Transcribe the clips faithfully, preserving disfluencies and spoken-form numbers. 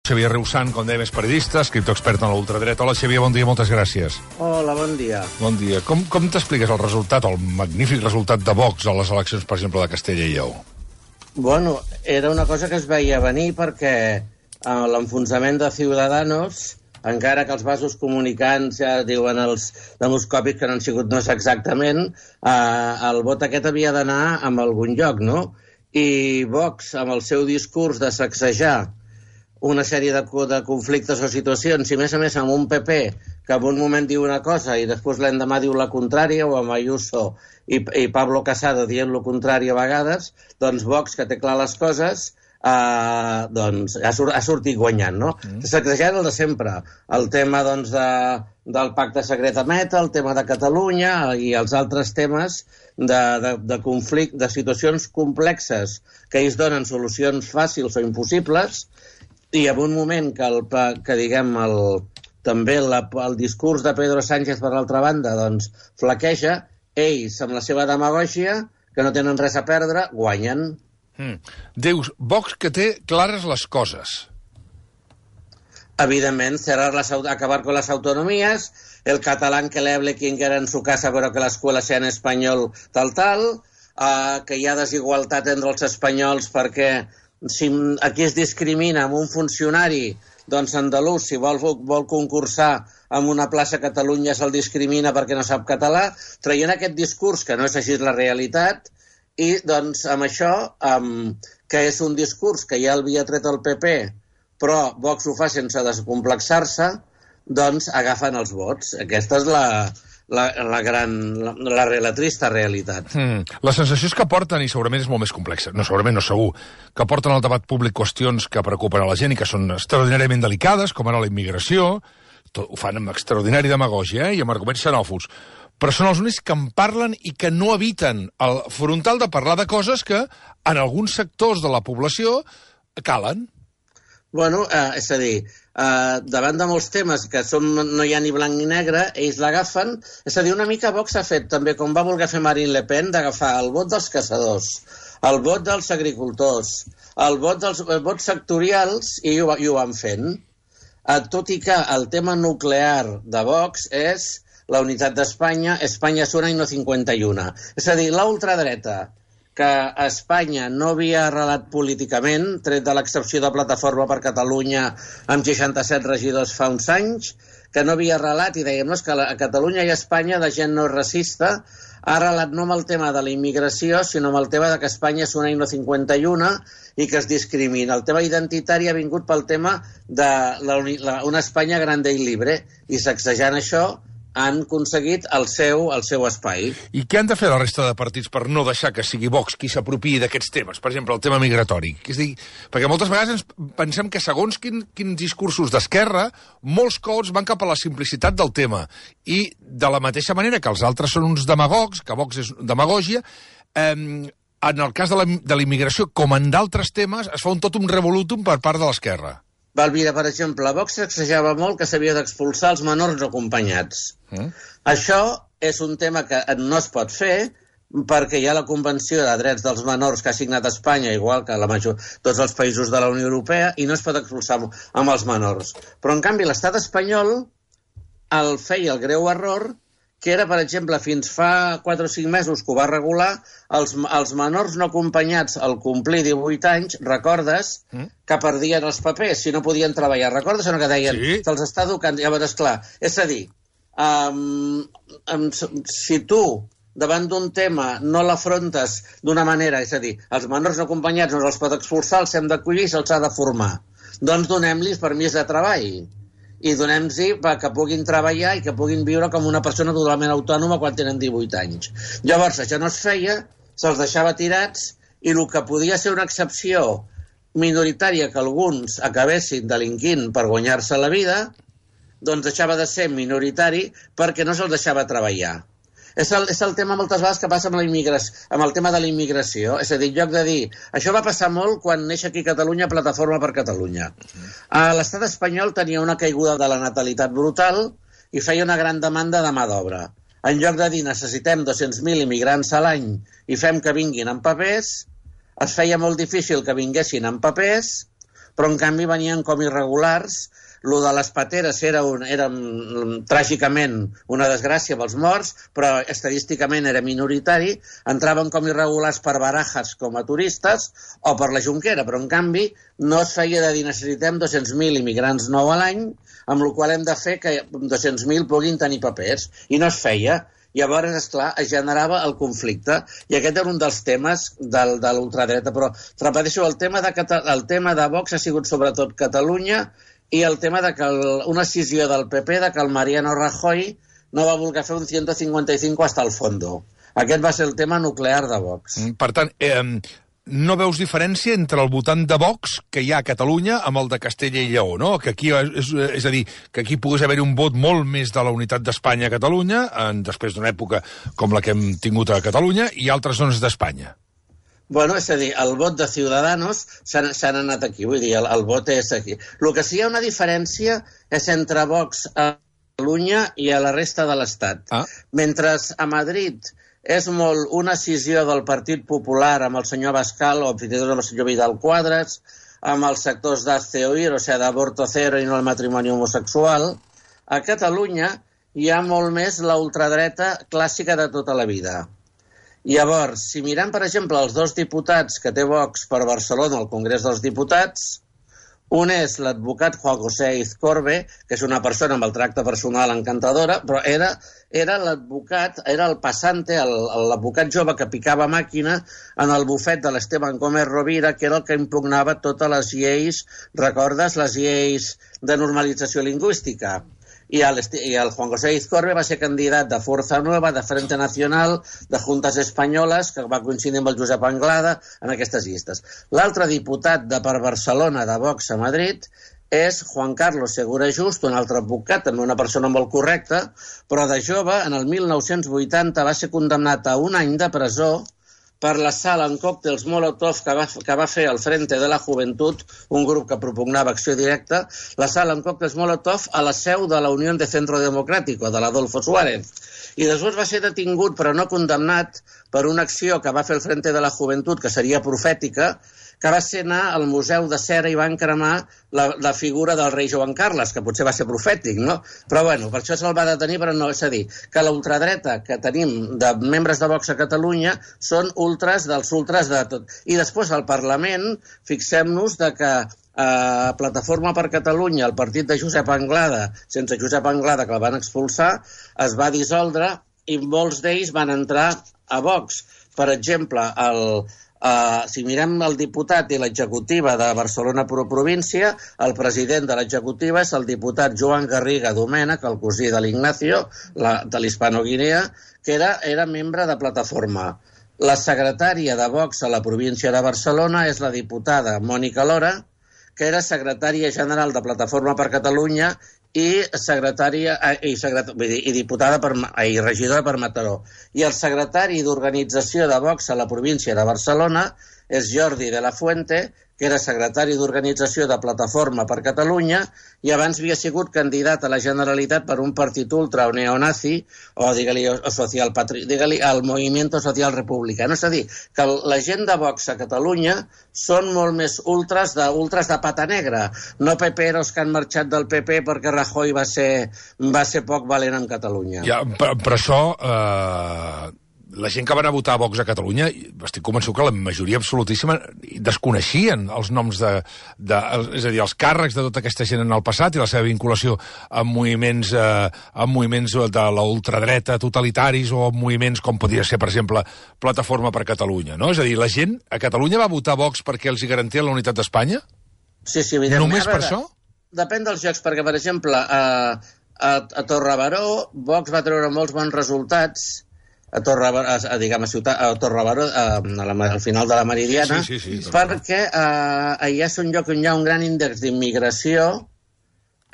Xavier Riusant, com dèiem, és periodista, escriptor expert en l'ultradreta. Hola, Xavier, bon dia, moltes gràcies. Hola, bon dia. Bon dia. Com, com t'expliques el resultat, el magnífic resultat de Vox a les eleccions, per exemple, de Castella i Lleó? Bueno, era una cosa que es veia venir perquè eh, l'enfonsament de Ciudadanos, encara que els vasos comunicants ja diuen els demoscòpics que no han sigut no és exactament, eh, el vot aquest havia d'anar a algun lloc, no? I Vox, amb el seu discurs de sacsejar una sèrie de, de conflictes o situacions, i a més a més amb un P P que en un moment diu una cosa i després l'endemà diu la contrària, o amb Ayuso i, i Pablo Casado dient lo contrari a vegades, doncs Vox, que té clar les coses, eh, doncs ha, sur ha sortit guanyant, no? Mm. Sacsejant el de sempre, el tema doncs, de, del pacte secret a Meta, el tema de Catalunya i els altres temes de, de, de conflicte, de situacions complexes que ells donen solucions fàcils o impossibles. I en un moment que, el, que diguem, el, també la, el discurs de Pedro Sánchez, per l'altra banda, doncs, flaqueja, ells, amb la seva demagògia, que no tenen res a perdre, guanyen. Mm. Dius, Vox que té clares les coses. Evidentment, cerrar las, acabar con las autonomías, el catalán que le hable quien quiera en su casa, però que l'escola sea en espanyol, tal, tal, uh, que hi ha desigualtat entre els espanyols perquè si aquí es discrimina amb un funcionari, doncs andalús, si vol, vol concursar en una plaça a Catalunya se'l discrimina perquè no sap català, traient aquest discurs que no és així la realitat, i doncs amb això, um, que és un discurs que ja havia tret el P P, però Vox ho fa sense descomplexar-se, doncs agafen els vots. Aquesta és la... La, la gran, la, la, la trista realitat. Mm. La sensació és que porten, i segurament és molt més complexa, no segurament, no segur, que porten al debat públic qüestions que preocupen a la gent i que són extraordinàriament delicades, com ara la immigració, tot, ho fan amb extraordinari demagògia, eh, i amb arguments xenòfobs, però són els únics que en parlen i que no eviten el frontal de parlar de coses que en alguns sectors de la població calen. Bueno, eh, és a dir, eh, davant de molts temes que són, no hi ha ni blanc ni negre, ells l'agafen. És a dir, una mica Vox ha fet també, com va voler fer Marine Le Pen, d'agafar el vot dels caçadors, el vot dels agricultors, el vot dels el vot sectorials, i ho, i ho van fent. Eh, tot i que el tema nuclear de Vox és la unitat d'Espanya, Espanya és una i no cinquanta i una. És a dir, la ultradreta, que a Espanya no havia arrelat políticament, tret de l'excepció de Plataforma per Catalunya amb seixanta-set regidors fa uns anys, que no havia arrelat, i dèiem, no, és que a Catalunya i a Espanya la gent no és racista, ha arrelat no amb el tema de la immigració, sinó amb el tema de que Espanya és una i no cinquanta i una i que es discrimina. El tema identitari ha vingut pel tema de la, la, una Espanya grande i libre, i sacsejant això han aconseguit el seu, el seu espai. I què han de fer la resta de partits per no deixar que sigui Vox qui s'apropiï d'aquests temes? Per exemple, el tema migratori. És dir, perquè moltes vegades ens pensem que segons quin, quins discursos d'esquerra, molts cops van cap a la simplicitat del tema. I de la mateixa manera que els altres són uns demagogs, que Vox és demagògia, eh, en el cas de la, de la immigració, com en d'altres temes, es fa un tot un revolutum per part de l'esquerra. Valvira, per exemple, Vox sacsejava molt que s'havia d'expulsar els menors no acompanyats. Mm. Això és un tema que no es pot fer perquè hi ha la Convenció de Drets dels Menors que ha signat Espanya, igual que la major, tots els països de la Unió Europea, i no es pot expulsar amb els menors. Però, en canvi, l'estat espanyol el feia el greu error que era, per exemple, fins fa quatre o cinc mesos que ho va regular, els, els menors no acompanyats al complir divuit anys, recordes, mm. que perdien els papers si no podien treballar. Recordes o no que deien? Sí. Se'ls està educant. Llavors, esclar, és a dir, um, um, si tu davant d'un tema no l'afrontes d'una manera, és a dir, els menors no acompanyats no els pot expulsar, els hem d'acollir i se'ls ha de formar. Doncs donem-los permís de treball. I donem-los que puguin treballar i que puguin viure com una persona totalment autònoma quan tenen divuit anys. Llavors, això no es feia, se'ls deixava tirats, i el que podia ser una excepció minoritària que alguns acabessin delinquint per guanyar-se la vida, doncs deixava de ser minoritari perquè no se'ls deixava treballar. És el, és el tema moltes vegades que passa amb, la amb el tema de la immigració. És a dir, en lloc de dir... Això va passar molt quan neix aquí a Catalunya Plataforma per Catalunya. Uh, L'estat espanyol tenia una caiguda de la natalitat brutal i feia una gran demanda de mà d'obra. En lloc de dir necessitem dos-cents mil immigrants a l'any i fem que vinguin amb papers, es feia molt difícil que vinguessin amb papers, però en canvi venien com irregulars. Lo de les pateres era, un, era um, tràgicament una desgràcia pels morts, però estadísticament era minoritari. Entraven com irregulars per Barajas com a turistes o per la Jonquera, però en canvi no es feia de dir necessitem dos-cents mil immigrants nou a l'any, amb la qual hem de fer que dos-cents mil puguin tenir papers. I no es feia. Llavors, esclar, es generava el conflicte. I aquest era un dels temes del, de l'ultradreta. Però, repeteixo, el tema, de, el tema de Vox ha sigut sobretot Catalunya i el tema de que el, una decisió del P P de que el Mariano Rajoy no va voler fer un ciento cincuenta y cinco hasta el fondo. Aquest va ser el tema nuclear de Vox. Per tant, eh, no veus diferència entre el votant de Vox que hi ha a Catalunya amb el de Castella i Lleó, no? Que aquí, és, és a dir, que aquí pogués haver un vot molt més de la unitat d'Espanya a Catalunya, en, després d'una època com la que hem tingut a Catalunya, i altres zones d'Espanya. Bueno, és a dir, el vot de Ciudadanos s'han anat aquí, vull dir, el, el vot és aquí. El que sí hi ha una diferència és entre Vox a Catalunya i a la resta de l'Estat. Ah. Mentre a Madrid és molt una decisió del Partit Popular amb el senyor Abascal o fins i tot amb el senyor Vidal Quadras, amb els sectors d'Hazte Oír, o sigui, d'aborto cero i no el matrimoni homosexual, a Catalunya hi ha molt més la ultradreta clàssica de tota la vida. Llavors, si mirem, per exemple, els dos diputats que té Vox per Barcelona al Congrés dels Diputats, un és l'advocat Juan José Izcorbe, que és una persona amb el tracte personal encantadora, però era, era l'advocat, era el passante, l'advocat jove que picava màquina en el bufet de l'Esteban Gómez Rovira, que era el que impugnava totes les lleis, recordes, les lleis de normalització lingüística. I el, I el Juan José Izcorbe va ser candidat de Força Nueva, de Frente Nacional, de Juntes Espanyoles, que va coincidir amb el Josep Anglada en aquestes llistes. L'altre diputat de per Barcelona de Vox a Madrid és Juan Carlos Segura Just, un altre advocat, també una persona molt correcta, però de jove, en el mil nou-cents vuitanta, va ser condemnat a un any de presó per l'assalt en còctels Molotov que va, que va fer el Frente de la Juventud, un grup que propugnava acció directa, l'assalt en còctels Molotov a la seu de la Unió de Centro Democrático, de l'Adolfo Suárez. I després va ser detingut, però no condemnat, per una acció que va fer el Frente de la Juventud, que seria profètica, que va ser anar al Museu de Cera i van cremar la, la figura del rei Joan Carles, que potser va ser profètic, no? Però, bueno, per això se'l va detenir, però no, és a dir, que la ultradreta que tenim de membres de Vox a Catalunya són ultras dels ultras de tot. I després al Parlament, fixem-nos de que a Plataforma per Catalunya, el partit de Josep Anglada, sense Josep Anglada, que el van expulsar, es va dissoldre i molts d'ells van entrar a Vox. Per exemple, el... Uh, si mirem el diputat i l'executiva de Barcelona Pro Província, el president de l'executiva és el diputat Joan Garriga Domènech, el cosí de l'Ignacio, la, de l'Hispano-Guinea, que era, era membre de Plataforma. La secretària de Vox a la província de Barcelona és la diputada Mònica Lora, que era secretària general de Plataforma per Catalunya i secretària i, secret, i diputada per, i regidora per Mataró. I el secretari d'organització de Vox a la província de Barcelona és Jordi de la Fuente, que era secretari d'organització de Plataforma per Catalunya i abans havia sigut candidat a la Generalitat per un partit ultra o neonazi o, digue-li, o social patri... digue-li, el Movimiento Social Republicano. És a dir, que la gent de Vox a Catalunya són molt més ultras de, ultras de pata negra, no peperos que han marxat del P P perquè Rajoy va ser, va ser poc valent en Catalunya. Ja, per, per això... Eh... La gent que va anar a votar a Vox a Catalunya, estic convençut que la majoria absolutíssima desconeixien els noms de, de... És a dir, els càrrecs de tota aquesta gent en el passat i la seva vinculació amb moviments, eh, amb moviments de la ultradreta totalitaris o amb moviments com podria ser, per exemple, Plataforma per Catalunya, no? És a dir, la gent a Catalunya va votar Vox perquè els hi garantia la unitat d'Espanya? Sí, sí, evidentment. Només per això? Depèn dels llocs, perquè, per exemple, a, a, a Torrebaró, Vox va treure molts bons resultats a Torrebaró, a, a, diguem, a, ciutat, a Torrebaró, a, a la, al final de la Meridiana, sí, sí, sí, perquè a, allà és un lloc on hi ha un gran índex d'immigració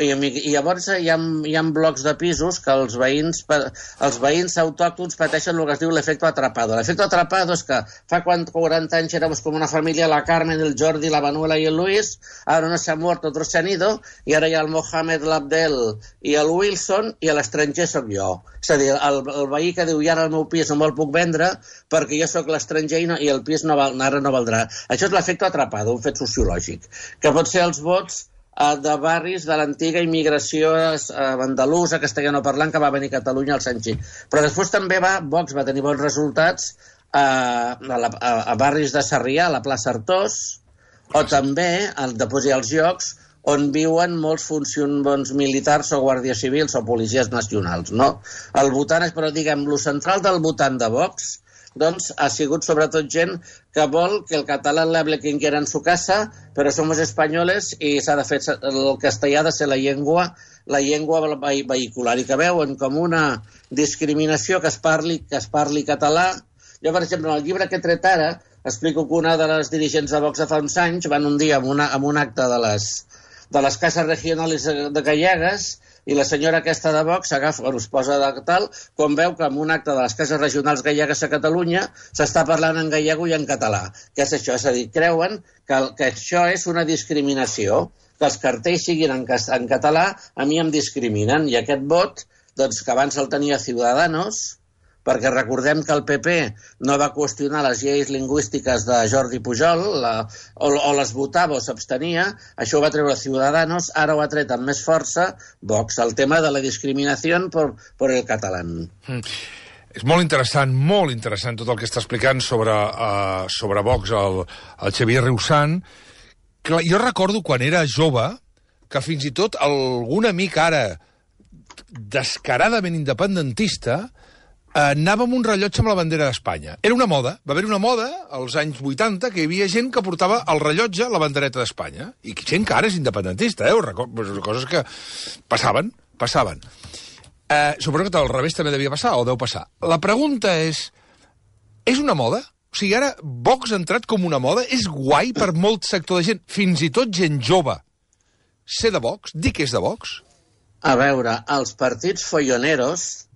I, i llavors hi ha, hi ha blocs de pisos que els veïns, els veïns autòctons pateixen el que es diu l'efecte atrapado. L'efecte atrapado és que fa quaranta anys éramos com una família, la Carmen, el Jordi, la Manuela i el Luis, ara no s'ha mort, otros se han ido, i ara hi ha el Mohamed, l'Abdel i el Wilson, i a l'estranger sóc jo. És a dir, el, el veí que diu, i ara el meu pis no me'l puc vendre perquè jo sóc l'estranger i, no, i el pis no val, ara no valdrà. Això és l'efecte atrapado, un fet sociològic, que pot ser els vots eh, de barris de l'antiga immigració eh, andalusa, castellanoparlant, que va venir a Catalunya als anys. Però després també va, Vox va tenir bons resultats eh, a, la, a, a barris de Sarrià, a la plaça Artós, o també, al, després hi ha els llocs, on viuen molts funcionaris militars o guàrdies civils o policies nacionals, no? El votant, però diguem, lo central del votant de Vox, doncs ha sigut sobretot gent que vol que el català l'hable quien quiera en su casa, però somos espanyoles i s'ha de fer el castellà ha de ser la llengua, la llengua vehicular, i que veuen com una discriminació que es parli, que es parli català. Jo, per exemple, en el llibre que he tret ara, explico que una de les dirigents de Vox de fa uns anys van un dia amb, una, amb un acte de les de les cases regionals de Gallegues, i la senyora aquesta de Vox agafa, es posa de tal, quan veu que en un acte de les cases regionals gallegues a Catalunya s'està parlant en gallego i en català. Què és això? És a dir, creuen que, que això és una discriminació, que els cartells siguin en, en català, a mi em discriminen, i aquest vot, doncs, que abans el tenia Ciudadanos, perquè recordem que el P P no va qüestionar les lleis lingüístiques de Jordi Pujol, la, o, o les votava o s'abstenia, això ho va treure Ciudadanos, ara ho ha tret amb més força Vox, el tema de la discriminació per, per el català. Mm. És molt interessant, molt interessant tot el que està explicant sobre, uh, sobre Vox el, el Xavier Riusant. Clar, jo recordo quan era jove que fins i tot algun amic ara descaradament independentista anava amb un rellotge amb la bandera d'Espanya. Era una moda. Va haver una moda als anys vuitanta que hi havia gent que portava el rellotge a la bandereta d'Espanya. I gent que ara és independentista, eh? Recordo, coses que passaven, passaven. Eh, suposo que al revés també devia passar, o deu passar. La pregunta és, és una moda? O sigui, ara Vox ha entrat com una moda? És guai per molt sector de gent, fins i tot gent jove, ser de Vox? Dir que és de Vox? A veure, els partits folloneros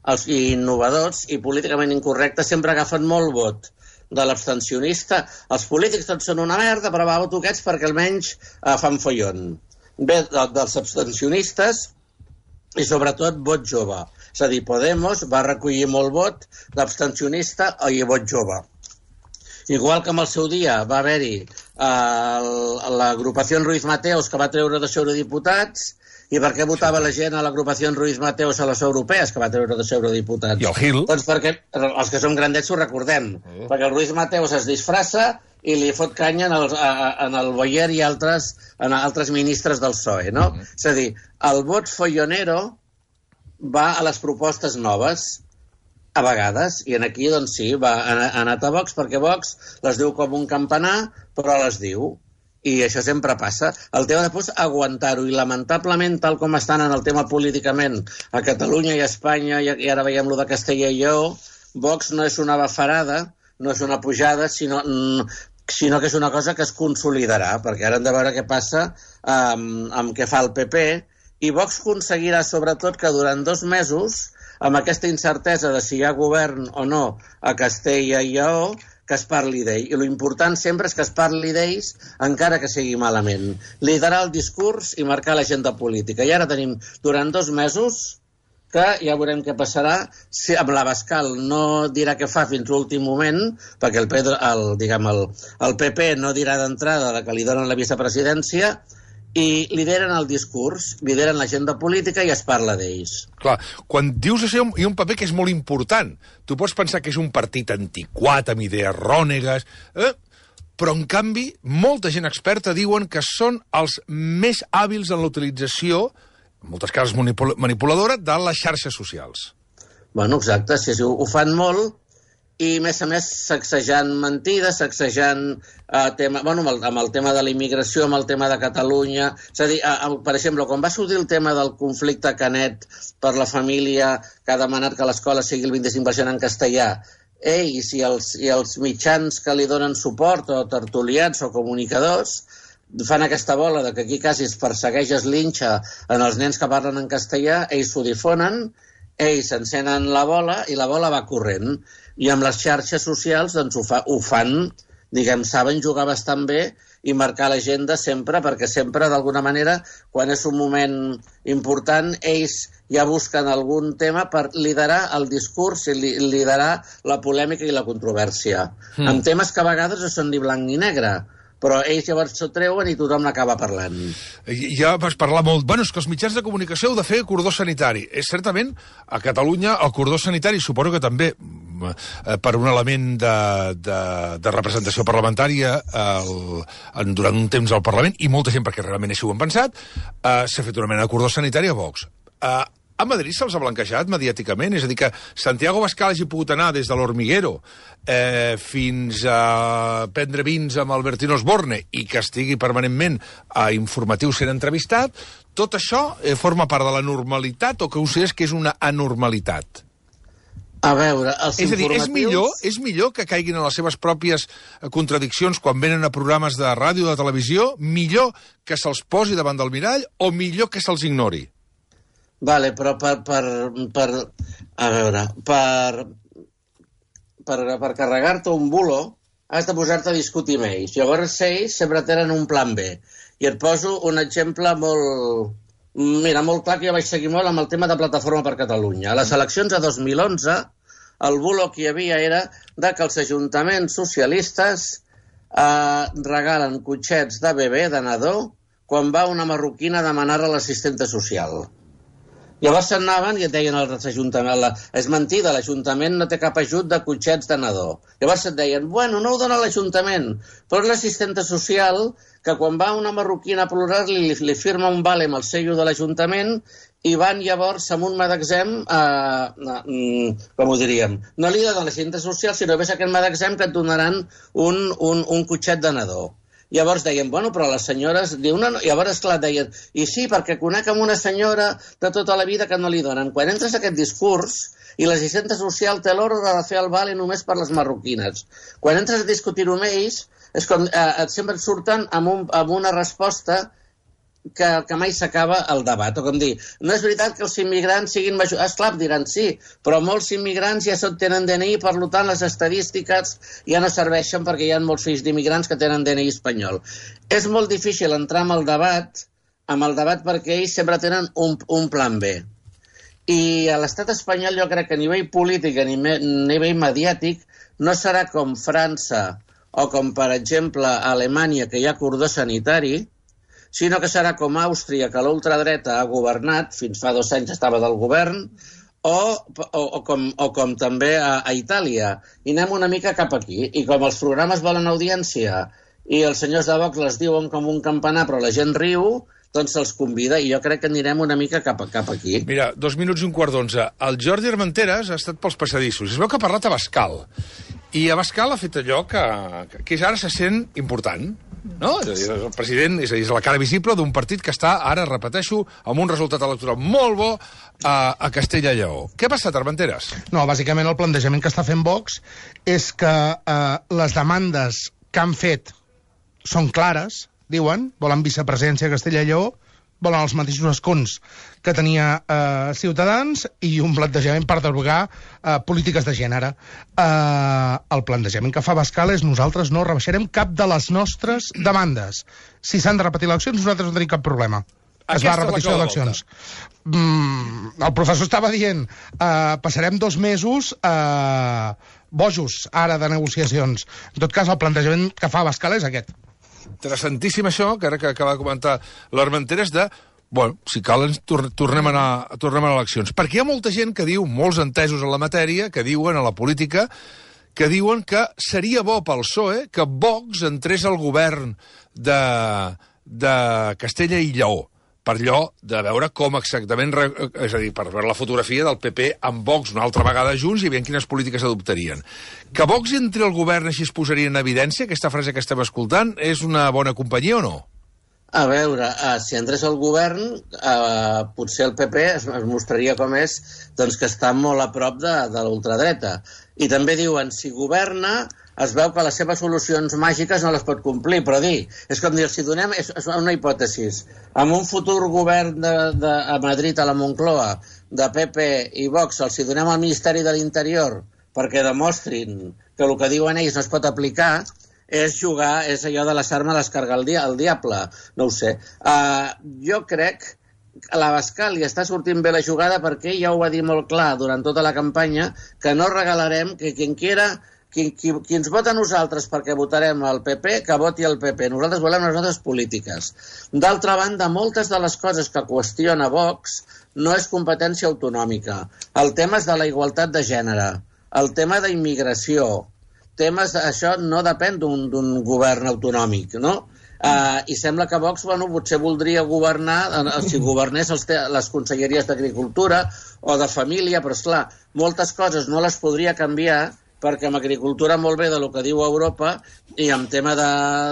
els innovadors i políticament incorrectes sempre agafen molt vot de l'abstencionista. Els polítics tots són una merda, però va, voto aquests perquè almenys eh, fan follon. Ve de, dels abstencionistes i sobretot vot jove. És a dir, Podemos va recollir molt vot d'abstencionista i vot jove. Igual que en el seu dia va haver-hi eh, l'agrupació Ruiz Mateos que va treure dos eurodiputats. I per què votava la gent a l'agrupació Ruiz Mateos a les europees, que va treure dos eurodiputats? I el Gil? Doncs perquè els que som grandets ho recordem. Uh. Perquè el Ruiz Mateos es disfressa i li fot canya en el, a, en el Boyer i altres, en altres ministres del P S O E, no? Uh. És a dir, el vot follonero va a les propostes noves, a vegades, i en aquí, doncs sí, va, ha anat a Vox, perquè Vox les diu com un campanar, però les diu. I això sempre passa. El tema després, aguantar-ho, i lamentablement, tal com estan en el tema políticament a Catalunya i a Espanya, i ara veiem lo de Castella i Lleó, Vox no és una bafarada, no és una pujada, sinó, sinó que és una cosa que es consolidarà, perquè ara hem de veure què passa amb, amb què fa el P P, i Vox aconseguirà sobretot que durant dos mesos, amb aquesta incertesa de si hi ha govern o no a Castella i Lleó, que es parli d'ell. I l'important sempre és que es parli d'ells encara que sigui malament. Liderar el discurs i marcar l'agenda política. I ara tenim durant dos mesos que ja veurem què passarà. Si amb l'Abascal no dirà què fa fins l'últim moment, perquè el, Pedro, el, diguem, el, el P P no dirà d'entrada que li donen la vicepresidència, i lideren el discurs, lideren l'agenda política i es parla d'ells. Clar, quan dius això hi ha un paper que és molt important. Tu pots pensar que és un partit antiquat, amb idees rònegues, eh? Però en canvi molta gent experta diuen que són els més hàbils en la utilització, en moltes casos manipuladora, de les xarxes socials. Bueno, exacte, sí, sí, ho fan molt, i, a més a més, sacsejant mentides, sacsejant eh, tema, bueno, amb, el, amb el tema de la immigració, amb el tema de Catalunya. És a dir, eh, per exemple, quan va sortir el tema del conflicte Canet per la família que ha demanat que l'escola sigui el vint-i-cinc per cent en castellà, ells i els, i els mitjans que li donen suport, o tertulians o comunicadors, fan aquesta bola de que aquí quasi es persegueix, es linxa en els nens que parlen en castellà, ells s'ho difonen, ells s'encenen la bola i la bola va corrent. I amb les xarxes socials doncs, ho, fa, ho fan, diguem, saben jugar bastant bé i marcar l'agenda sempre, perquè sempre, d'alguna manera, quan és un moment important, ells ja busquen algun tema per liderar el discurs i li, liderar la polèmica i la controvèrsia. Mm. En temes que a vegades no són ni blanc ni negre, però ells llavors s'ho treuen i tothom n'acaba parlant. Ja vas parlar molt... Bueno, és que els mitjans de comunicació heu de fer cordó sanitari. És certament, a Catalunya, el cordó sanitari, suposo que també, per un element de, de, de representació parlamentària el, durant un temps al Parlament, i molta gent, perquè realment així ho han pensat, eh, s'ha fet una mena de cordó sanitari a Vox. Eh, A Madrid se'ls ha blanquejat mediàticament, és a dir, que Santiago Abascal hagi pogut anar des de l'Hormiguero eh, fins a prendre vins amb Albertino Osborne i que estigui permanentment a informatius sent entrevistat, tot això eh, forma part de la normalitat o que consideres que és una anormalitat? A veure, els és a dir, informatius... és millor, és millor que caiguin en les seves pròpies contradiccions quan venen a programes de ràdio o de televisió, millor que se'ls posi davant del mirall o millor que se'ls ignori? Vale, però per, per, per a veure, per, per, per carregar-te un bulo has de posar-te a discutir amb ells. Llavors ells sempre tenen un plan B. I et poso un exemple molt... Mira, molt clar, que jo vaig seguir molt amb el tema de Plataforma per Catalunya. A les eleccions de dos mil onze, el bulo que hi havia era de que els ajuntaments socialistes eh, regalen cotxets de bebè, de nadó, quan va una marroquina a demanar a l'assistenta social. Llavors se'n anaven i et deien als ajuntaments, és mentida, l'Ajuntament no té cap ajut de cotxets de nadó. Llavors et deien, bueno, no ho dona l'Ajuntament, però és l'assistenta social que quan va una marroquina a plorar-li li, li firma un vale amb el sello de l'Ajuntament i van llavors amb un magatzem, eh, eh, com ho diríem, no li donen l'assistenta social, sinó que és aquest magatzem que et donaran un, un, un cotxet de nadó. Llavors deien, bueno, però les senyores... Diu, no, no. Llavors, esclar, deien, i sí, perquè conec amb una senyora de tota la vida que no li donen. Quan entres a aquest discurs i l'assistenta social té l'ordre de fer el vale només per les marroquines. Quan entres a discutir-ho amb ells, és com, eh, sempre et surten amb, un, amb una resposta que, que mai s'acaba el debat. O com dir, no és veritat que els immigrants siguin major... Esclar, diran sí, però molts immigrants ja tenen D N I, per tant les estadístiques ja no serveixen perquè hi ha molts fills d'immigrants que tenen D N I espanyol. És molt difícil entrar amb el debat, amb el debat perquè ells sempre tenen un, un plan B. I a l'estat espanyol jo crec que a nivell polític, a nivell, a nivell mediàtic, no serà com França o com, per exemple, a Alemanya, que hi ha cordó sanitari, sinó que serà com Àustria, que l'ultradreta ha governat, fins fa dos anys estava del govern, o, o, o, com, o com també a, a Itàlia. I anem una mica cap aquí. I com els programes volen audiència i els senyors de Vox les diuen com un campanar, però la gent riu, doncs se'ls convida, i jo crec que anirem una mica cap, cap aquí. Mira, dos minuts i un quart d'onze. El Jordi Armenteres ha estat pels passadissos. Es veu que ha parlat a Abascal. I Abascal ha fet allò que, que ara se sent important. No? És a dir, el president és, a dir, és la cara visible d'un partit que està, ara repeteixo, amb un resultat electoral molt bo a, a Castella i Lleó. Què ha passat, Armenteres? No, bàsicament el plantejament que està fent Vox és que eh, les demandes que han fet són clares, diuen, volen vicepresidència a Castella i Lleó, volen els mateixos escons que tenia eh, Ciutadans i un plantejament per derogar eh, polítiques de gènere. Eh, el plantejament que fa Abascal és nosaltres no rebaixarem cap de les nostres demandes. Si s'han de repetir eleccions, nosaltres no tenim cap problema. Es va a repetició d'eleccions. Mm, el professor estava dient eh, passarem dos mesos eh, bojos ara de negociacions. En tot cas, el plantejament que fa Abascal és aquest. Interessantíssim això, que ara que acaba de comentar l'Armenteres, de, bueno, si cal, ens tor tornem, a anar, tornem a eleccions. Perquè hi ha molta gent que diu, molts entesos en la matèria, que diuen a la política, que diuen que seria bo pel P S O E que Vox entrés al govern de, de Castella i Lleó, per allò de veure com exactament, és a dir, per veure la fotografia del P P amb Vox una altra vegada junts i veient quines polítiques adoptarien. Que Vox entri al govern així es posaria en evidència, aquesta frase que estem escoltant, és una bona companyia o no? A veure, uh, si entrés al govern, uh, potser el P P es, es mostraria com és, doncs que està molt a prop de, de l'ultradreta. I també diuen, si governa, es veu que les seves solucions màgiques no les pot complir, però dir, és com dir, si donem, és, és una hipòtesi, amb un futur govern de, de, a Madrid, a la Moncloa, de P P i Vox, els hi donem al Ministeri de l'Interior perquè demostrin que el que diuen ells no es pot aplicar, és jugar, és allò de deixar-me l'escargar el, dia, el diable, no ho sé. Uh, jo crec a l'Abascal li està sortint bé la jugada perquè ja ho va dir molt clar durant tota la campanya, que no regalarem, que quien quiera, qui, qui, qui ens vota a nosaltres perquè votarem al P P, que voti al P P. Nosaltres volem les nostres polítiques. D'altra banda, moltes de les coses que qüestiona Vox no és competència autonòmica. El tema és de la igualtat de gènere, el tema d'immigració, temes, això no depèn d'un govern autonòmic, no? Uh, I sembla que Vox, bueno, potser voldria governar, uh, si governés els les conselleries d'Agricultura o de Família, però esclar, moltes coses no les podria canviar perquè amb agricultura molt bé de lo que diu Europa i amb tema de,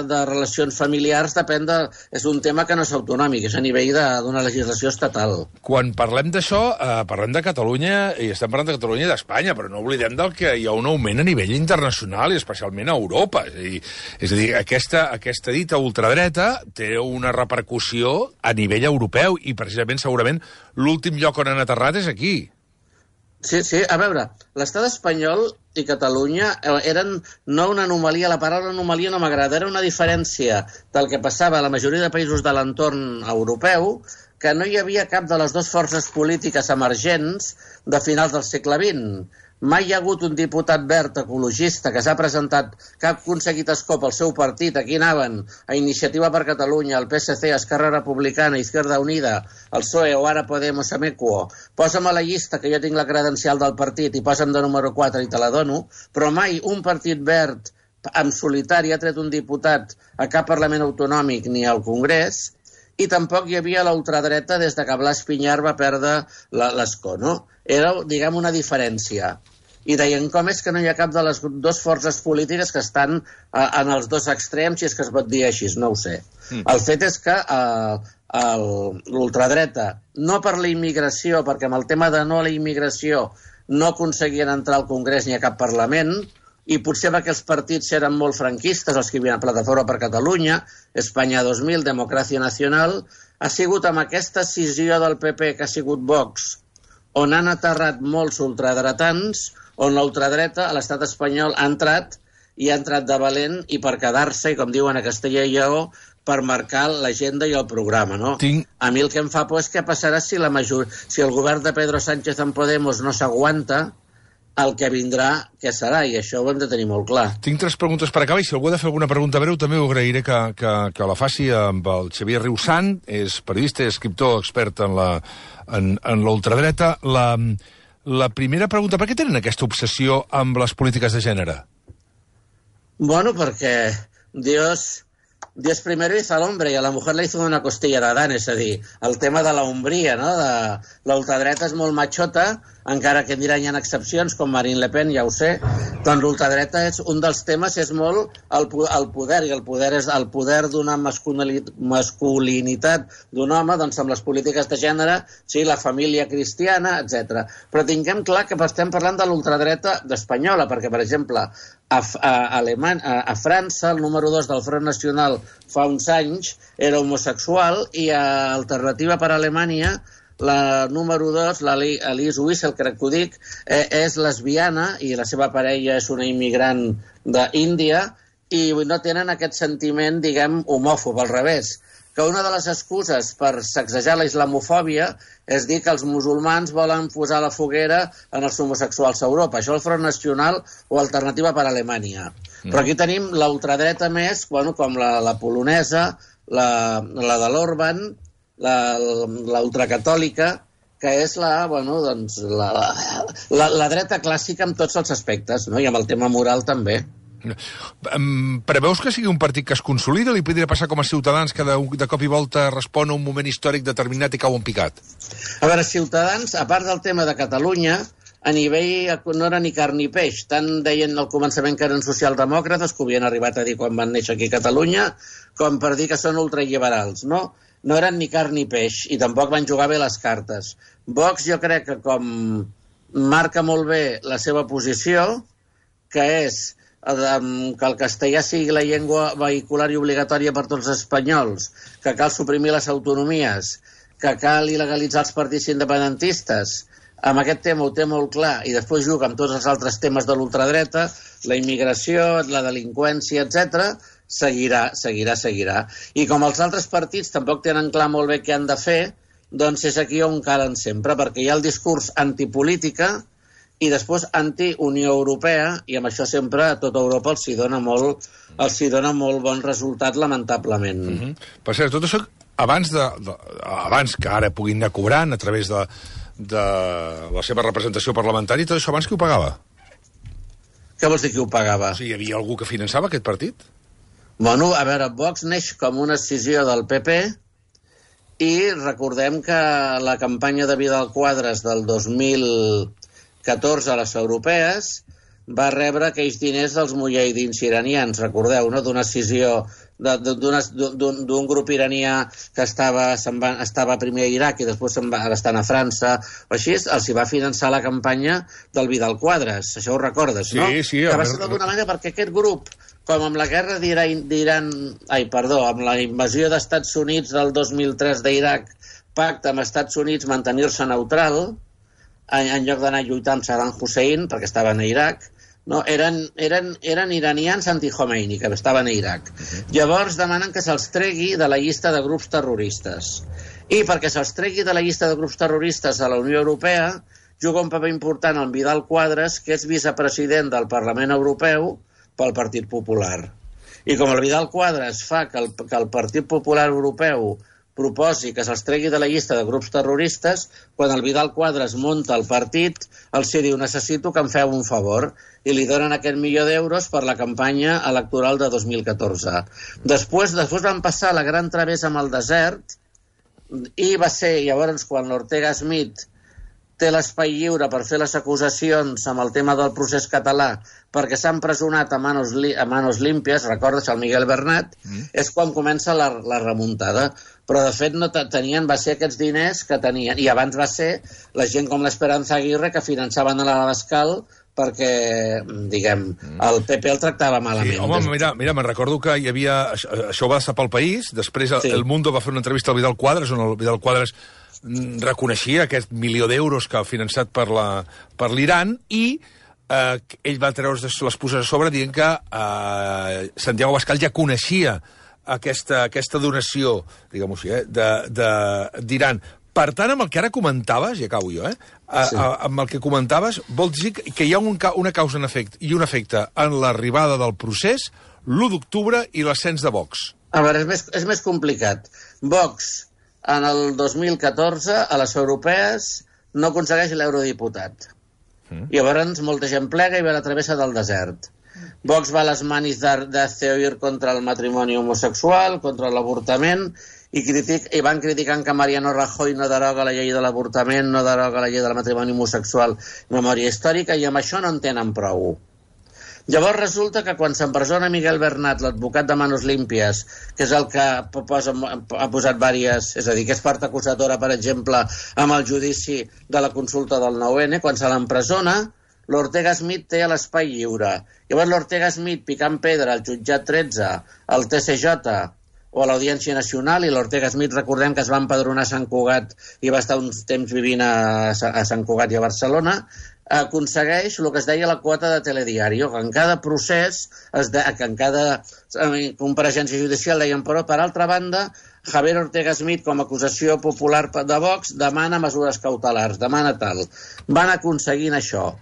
de relacions familiars depèn de... És un tema que no és autonòmic, és a nivell d'una legislació estatal. Quan parlem d'això, eh, parlem de Catalunya, i estem parlant de Catalunya i d'Espanya, però no oblidem del que hi ha un augment a nivell internacional i especialment a Europa. És a dir, és a dir aquesta, aquesta dita ultradreta té una repercussió a nivell europeu i precisament segurament l'últim lloc on han aterrat és aquí. Sí, sí, a veure, l'estat espanyol i Catalunya eren no una anomalia, la paraula anomalia no m'agrada, era una diferència del que passava a la majoria de països de l'entorn europeu, que no hi havia cap de les dues forces polítiques emergents de finals del segle vint. Mai hi ha hagut un diputat verd ecologista que s'ha presentat, que ha aconseguit escó pel seu partit. Aquí anaven a Iniciativa per Catalunya, el P S C, Esquerra Republicana, Izquierda Unida, el P S O E o ara Podemos, Amecuo. Posa'm a la llista que jo tinc la credencial del partit i posa'm de número quatre i te la dono, però mai un partit verd en solitari ha tret un diputat a cap Parlament Autonòmic ni al Congrés, i tampoc hi havia la ultradreta des de que Blas Piñar va perdre l'escó, no? Era, diguem, una diferència. I deien, com és que no hi ha cap de les dues forces polítiques que estan eh, en els dos extrems, si és que es pot dir així, no ho sé. Mm. El fet és que eh, l'ultradreta, no per la immigració, perquè amb el tema de no a la immigració no aconseguien entrar al Congrés ni a cap Parlament, i potser perquè els partits eren molt franquistes, els que hi havia Plataforma per Catalunya, Espanya dos mil, Democràcia Nacional, ha sigut amb aquesta escissió del P P que ha sigut Vox, on han aterrat molts ultradretans, on l'ultradreta a l'estat espanyol ha entrat, i ha entrat de valent, i per quedar-se, i com diuen a Castella i Lleó, per marcar l'agenda i el programa, no? Tinc... A mi el que em fa por és què passarà si, la major... si el govern de Pedro Sánchez en Podemos no s'aguanta, el que vindrà, què serà, i això ho hem de tenir molt clar. Tinc tres preguntes per acabar, i si algú ha de fer alguna pregunta breu, també ho agrairé que, que, que la faci amb el Xavier Riusant, és periodista i escriptor expert en la en, en l'ultradreta. La, la primera pregunta, per què tenen aquesta obsessió amb les polítiques de gènere? Bueno, perquè Dios... Dios primero hizo al hombre y a la mujer le hizo una costilla de Adán, és a dir, el tema de la hombria, no? De l'ultradreta és molt machota, encara que diran hi ha excepcions, com Marine Le Pen, ja ho sé, doncs l'ultradreta és un dels temes, és molt el, el poder, i el poder és el poder d'una masculinitat d'un home, doncs amb les polítiques de gènere, sí, la família cristiana, etcètera. Però tinguem clar que estem parlant de l'ultradreta espanyola, perquè, per exemple, a, a, Alemany, a, a França, el número dos del Front Nacional fa uns anys era homosexual, i a Alternativa per Alemanya la número dos, l'Alice Wiesel, crec que ho dic, eh, és lesbiana i la seva parella és una immigrant d'Índia, i no tenen aquest sentiment, diguem, homòfob, al revés, que una de les excuses per sacsejar la islamofòbia és dir que els musulmans volen posar la foguera en els homosexuals a Europa. Això el Front Nacional o Alternativa per Alemanya. Mm. Però aquí tenim l'ultradreta més, bueno, com la, la polonesa, la, la de l'Orban, la, la ultracatòlica, que és la, bueno, doncs, la, la, la dreta clàssica en tots els aspectes, no? I amb el tema moral també. Preveus que sigui un partit que es consolida o li podria passar com a Ciutadans que de, de cop i volta respon a un moment històric determinat i cau en picat? A veure, Ciutadans, a part del tema de Catalunya, a nivell no era ni carn ni peix. Tant deien al començament que eren socialdemòcrates, que ho havien arribat a dir quan van néixer aquí a Catalunya, com per dir que són ultralliberals, no? No eren ni carn ni peix, i tampoc van jugar bé les cartes. Vox jo crec que com marca molt bé la seva posició, que és que el castellà sigui la llengua vehicular i obligatòria per tots els espanyols, que cal suprimir les autonomies, que cal il·legalitzar els partits independentistes, amb aquest tema ho té molt clar i després juga amb tots els altres temes de l'ultradreta, la immigració, la delinqüència, etcètera, seguirà, seguirà, seguirà. I com els altres partits tampoc tenen clar molt bé què han de fer, doncs és aquí on calen sempre, perquè hi ha el discurs antipolítica i després anti-Unió Europea, i amb això sempre a tota Europa els hi dona molt, els hi dona molt bon resultat, lamentablement. Mm-hmm. Per cert, tot això, abans, de, de, abans que ara puguin anar cobrant a través de, de la seva representació parlamentària, tot això abans qui ho pagava? Què vols dir qui ho pagava? O sigui, hi havia algú que finançava aquest partit? Bueno, a veure, Vox neix com una escissió del P P i recordem que la campanya de Vidal Quadras del dos mil catorze a les europees va rebre aquells diners dels mujahidins iranians, recordeu, no? D'una escissió d'un grup iranià que estava, va, estava primer a Iraq i després se'n va estar a França, o així, els hi va finançar la campanya del Vidal Quadras, això ho recordes, no? Sí, sí. Que va ser d'alguna manera perquè aquest grup, com amb la guerra d'Iran, ai, perdó, amb la invasió d'Estats Units del dos mil tres d'Iraq, pacta amb Estats Units mantenir-se neutral, en, en lloc d'anar a lluitar amb Saddam Hussein, perquè estaven a Iraq, no, eren, eren, eren iranians anti-Khomeini, que estaven a Iraq. Uh-huh. Llavors demanen que se'ls tregui de la llista de grups terroristes. I perquè se'ls tregui de la llista de grups terroristes a la Unió Europea, juga un paper important el Vidal Quadras, que és vicepresident del Parlament Europeu pel Partit Popular. I com el Vidal Quadras fa que el, que el Partit Popular Europeu proposi que se'ls tregui de la llista de grups terroristes, quan el Vidal Quadras munta el partit, els diu, necessito que em feu un favor, i li donen aquest milió d'euros per la campanya electoral de dos mil catorze. Després, després van passar la gran travessa amb el desert, i va ser llavors quan l'Ortega Smith té l'espai lliure per fer les acusacions amb el tema del procés català, perquè s'ha empresonat a manos, a manos límpies, recordes el Miguel Bernat, mm. és quan comença la, la remuntada. Però, de fet, no tenien, va ser aquests diners que tenien. I abans va ser la gent com l'Esperanza Aguirre que finançaven a l'Abascal perquè, diguem, el P P el tractava malament. Sí, home, mira, mira me'n recordo que hi havia... Això va passar pel País, després el, sí. el Mundo va fer una entrevista al Vidal Quadras, on el Vidal Quadras reconeixia aquest milió d'euros que ha finançat per l'Iran i eh, ell va treure les puces a sobre dient que eh, Santiago Abascal ja coneixia aquesta, aquesta donació, diguem-ho així, eh, d'Iran. Per tant, amb el que ara comentaves, i acabo jo, eh, sí. a, amb el que comentaves, vol dir que hi ha un, una causa en efecte, i un efecte en l'arribada del procés, l'u d'octubre i l'ascens de Vox. A veure, és més, és més complicat. Vox, en el dos mil catorze, a les europees, no aconsegueix l'eurodiputat. Mm. Llavors, molta gent plega i ve a la travessa del desert. Vox va a les manis d'Hazte Oír contra el matrimoni homosexual, contra l'avortament, i, critic, i van criticant que Mariano Rajoy no deroga la llei de l'avortament, no deroga la llei del matrimoni homosexual, memòria històrica, i amb això no en tenen prou. Llavors resulta que quan s'empresona Miguel Bernat, l'advocat de Manos Límpies, que és el que posa, ha posat vàries, és a dir, que és part acusadora, per exemple, amb el judici de la consulta del nou ene, quan se l'empresona, l'Ortega Smith té l'espai lliure. Llavors l'Ortega Smith picant pedra al jutjat tretze, al te ce jota o a l'Audiència Nacional, i l'Ortega Smith, recordem que es va empadronar a Sant Cugat i va estar uns temps vivint a, a Sant Cugat i a Barcelona, aconsegueix el que es deia la quota de telediario, que en cada procés, es de, que en cada compareixença judicial deien, però per altra banda, Javier Ortega Smith, com a acusació popular de Vox, demana mesures cautelars, demana tal. Van aconseguint això.